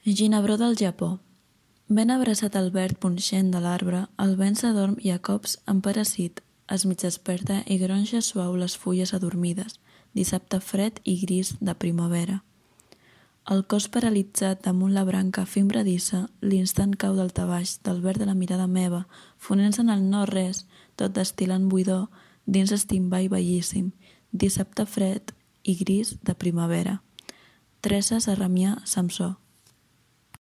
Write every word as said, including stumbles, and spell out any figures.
Ginebró del Japó. Ben abraçat al verd punxent de l'arbre, el vent s'adorm i a cops emparassit, es mig desperta i gronxa suau les fulles adormides, dissabte fred i gris de primavera. El cos paralitzat damunt la branca fimbradissa, l'instant cau daltabaix del verd de la mirada meva, fonent-se en el no-res, tot destil·lant buidor, dins estimball bellíssim, dissabte fred i gris de primavera. Teresa Sarramià Samsó.